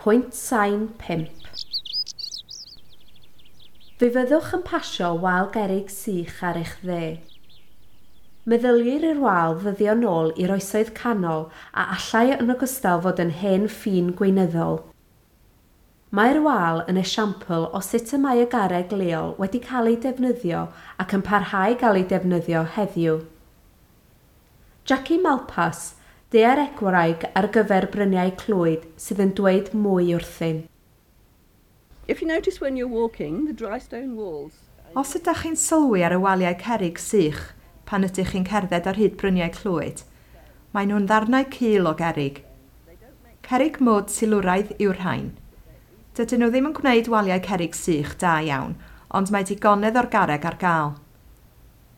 Pwynt sain 5. Fe fyddwch yn pasio wal gerrig sych ar eich dde. Meddylir i'r wal ddyddio nôl i'r Oesoedd Canol a allai yn ogystal fod yn hen ffin gweinyddol. Mae'r wal yn esiampl o sut y mae y garreg leol wedi cael ei defnyddio ac yn parhau gael ei defnyddio heddiw. Jackie Malpas, daearegwraig ar gyfer Bryniau Clwyd, sydd yn dweud mwy wrthym. If you notice when you're walking, the dry stone walls. Os ydych chi'n sylwi ar y waliau cerrig sych pan ydych chi'n cerdded ar hyd Bryniau Clwyd, maen nhw'n ddarnau cul o gerrig. Cerrig mwd silwraidd yw'r rhain. Dydyn nhw ddim yn gwneud waliau cerrig sych da iawn, ond mae digonedd o'r garreg ar gael.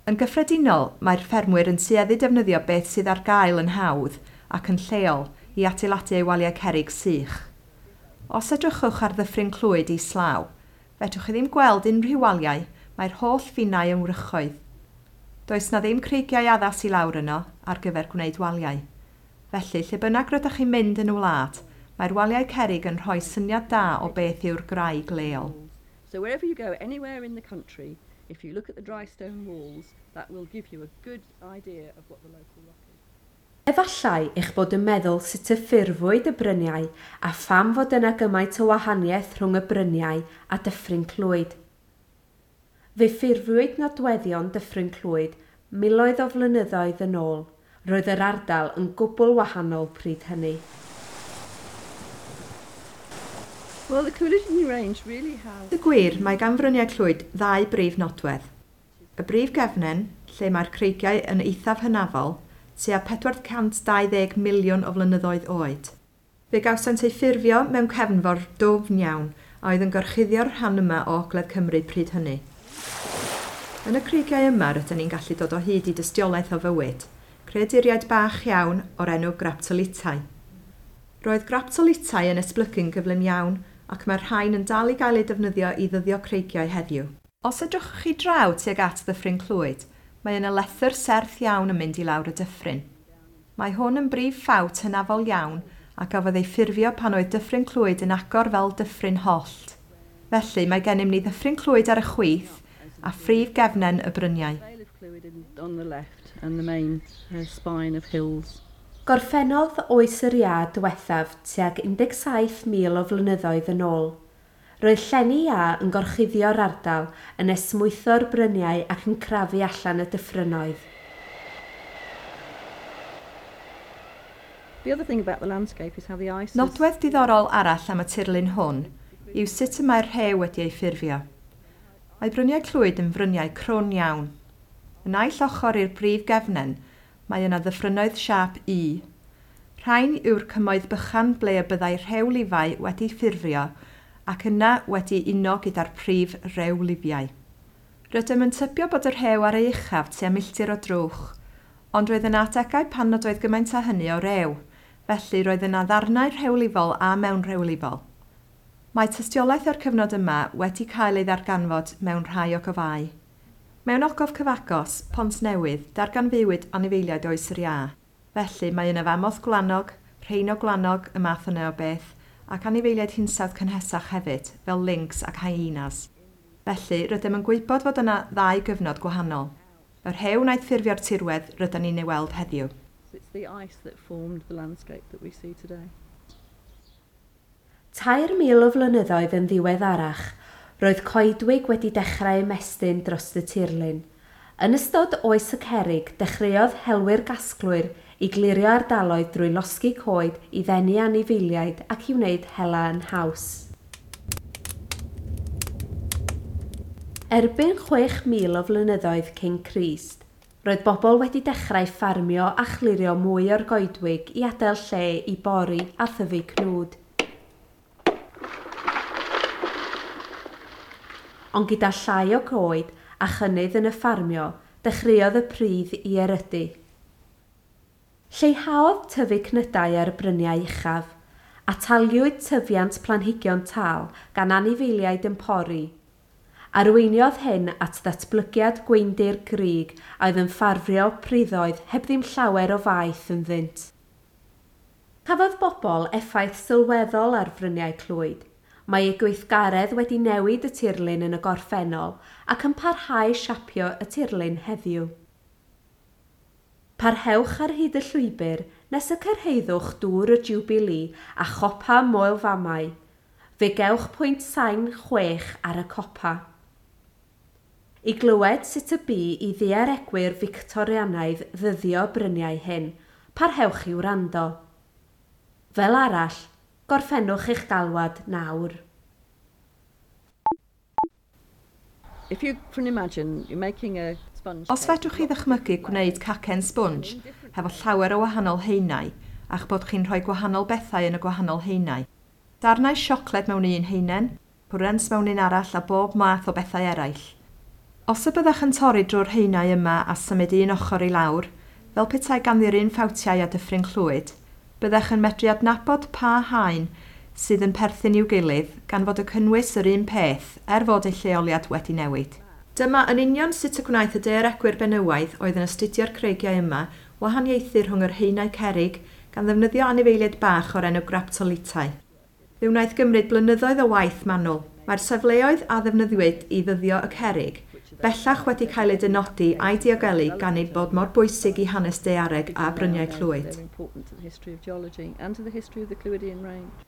Yn gyffredinol, mae'r ffermwyr yn tueddu defnyddio beth sydd ar gael yn hawdd ac yn lleol i adeiladu eu waliau cerrig sych. Os edrychwch ar Ddyffryn Clwyd islaw, fedrwch chi ddim gweld unrhyw waliau, mae'r holl finnau yn wrychoedd. Does 'na ddim creigiau addas i lawr yno ar gyfer gwneud waliau. Felly, lle bynnag rydych chi'n mynd yn y wlad, mae'r waliau cerrig yn rhoi syniad da o beth yw'r graig leol. So wherever you go, anywhere in the country, if you look at the dry stone walls, that will give you a good idea of what the local rock is. Efallai eich bod yn meddwl sut y ffurfwyd y bryniau a pham fod yna gymaint o wahaniaeth rhwng y bryniau a Dyffryn Clwyd. Fe ffurfwyd nodweddion Dyffryn Clwyd miloedd o flynyddoedd yn ôl. Roedd yr ardal yn gwbl wahanol pryd hynny. Well, the Clwydian Range really has. Y gwir, mae gan Fryniau Clwyd ddau brif nodwedd. Y brif gefnen, lle mae'r creigiau yn eithaf hynafol, tua 420 miliwn o flynyddoedd oed. Fe gawsant eu ffurfio mewn cefnfor dwfn iawn a oedd yn gorchuddio'r rhan yma o Ogledd Cymru pryd hynny. Yn y creigiau yma rydyn ni'n gallu dod o hyd i dystiolaeth o fywyd, creaduriaid bach iawn o'r enw graptolitau. Roedd graptolitau yn esblygu'n gyflym iawn ac mae'r rhain yn dal i gael eu defnyddio i ddyddio creigiau heddiw. Os edrychwch chi draw tuag at Ddyffryn Clwyd, mae yna lethr serth iawn yn mynd i lawr y dyffryn. Mae hwn yn brif ffawt hynafol iawn a gafodd ei ffurfio pan oedd Dyffryn Clwyd yn agor fel dyffryn hollt. Felly, mae gennym ni Ddyffryn Clwyd ar y chwith a phrif gefnen y bryniau. Vale of Clwyd on the left and the main spine of hills. Gorffennodd oes yr iâ diwethaf tuag 17,000 o flynyddoedd yn ôl. Roedd llenni iâ yn gorchuddio'r ardal, yn esmwytho'r bryniau ac yn crafu allan y dyffrynnoedd. The other thing about the landscape is how the ice has Nodwedd diddorol arall am y tirlun hwn yw sut y mae'r rhew wedi ei ffurfio. Mae Bryniau Clwyd yn fryniau crwn iawn. Y naill ochr i'r brif gefnen, mae yna ddyffrynnoedd siâp U. Rhain yw'r cymoedd bychan ble y byddai rhewlifau wedi ffurfio ac yna wedi uno gyda'r prif rewlifiau. Rydym yn tybio bod y rhew ar ei uchaf tua milltir o drwch, ond roedd yna adegau pan nad oedd gymaint â hynny o rew, felly roedd yna ddarnau rhewlifol a mewnrhewlifol. Mae tystiolaeth o'r cyfnod yma wedi cael ei ddarganfod mewn rhai ogofâu. Mewn ogof cyfagos, Pont Newydd, darganfuwyd anifeiliaid oes yr iâ. Felly, mae yna famoth gwlanog, rheino gwlanog, y math yna o beth, ac anifeiliaid hinsawdd cynhesach hefyd, fel lynx ac hyenas. Felly, rydym yn gwybod fod yna ddau gyfnod gwahanol. Y rhew wnaeth ffurfio'r tirwedd rydyn ni'n ei weld heddiw. It's the ice that formed the landscape that we see today. 3,000 o flynyddoedd yn ddiweddarach, roedd coedwig wedi dechrau ymestyn dros y tirlun. Yn ystod oes y cerrig, dechreuodd helwyr gasglwyr i glirio ardaloedd drwy losgi coed i ddenu anifeiliaid ac i wneud hela yn haws. Erbyn 6,000 o flynyddoedd cyn Crist, roedd bobl wedi dechrau ffarmio a chlirio mwy o'r goedwig i adael lle i bori a thyfu cnwd. Ond gyda llai o goed a chynnydd yn y ffarmio, dechreuodd y pridd i erydu. Lleihaodd tyfu cnydau ar y bryniau uchaf, ataliwyd tyfiant planhigion tal gan anifeiliaid yn pori. Arweiniodd hyn at ddatblygiad gweundir grug a oedd yn ffafrio priddoedd heb ddim llawer o faeth ynddynt. Cafodd bobl effaith sylweddol ar Fryniau Clwyd. Mae eu gweithgaredd wedi newid y tirlun yn y gorffennol ac yn parhau siapio y tirlun heddiw. Parhewch ar hyd y llwybr nes y cyrhaeddwch Dŵr y Jiwbilî a chopa Moel Famau. Fe gewch pwynt sain 6 ar y copa. I glywed sut y bu i ddaearegwyr Fictorianaidd ddyddio bryniau hyn, parhewch i wrando. Fel arall, gorffennwch eich galwad nawr. If you can imagine, you're making a sponge Os cake. Fedrwch chi ddychmygu gwneud cacen sbwnj hefo llawer o wahanol haenau a'ch bod chi'n rhoi gwahanol bethau yn y gwahanol haenau. Darnau siocled mewn un haenen, cwrens mewn un arall a bob math o bethau eraill. Os y byddech yn torri drwy'r haenau yma a symud un ochr i lawr, fel petai ganddi'r un ffawtiau a Dyffryn Clwyd, byddech yn medru adnabod pa haen sydd yn perthyn i'w gilydd gan fod y cynnwys yr un peth er fod eu lleoliad wedi newid. Dyma yn union sut y gwnaeth y daearegwyr benywaidd oedd yn astudio'r creigiau yma wahaniaethu rhwng yr haenau cerrig gan ddefnyddio anifeiliaid bach o'r enw graptolitau. Fe wnaeth gymryd blynyddoedd o waith manwl. Mae'r safleoedd a ddefnyddiwyd i ddyddio y cerrig bellach wedi cael eu dynodi a'u diogelu gan eu bod mor bwysig i hanes daeareg a Because now Bryniau known that Clwyd. they're important to the history of geology and to the history of the Clwydian Range.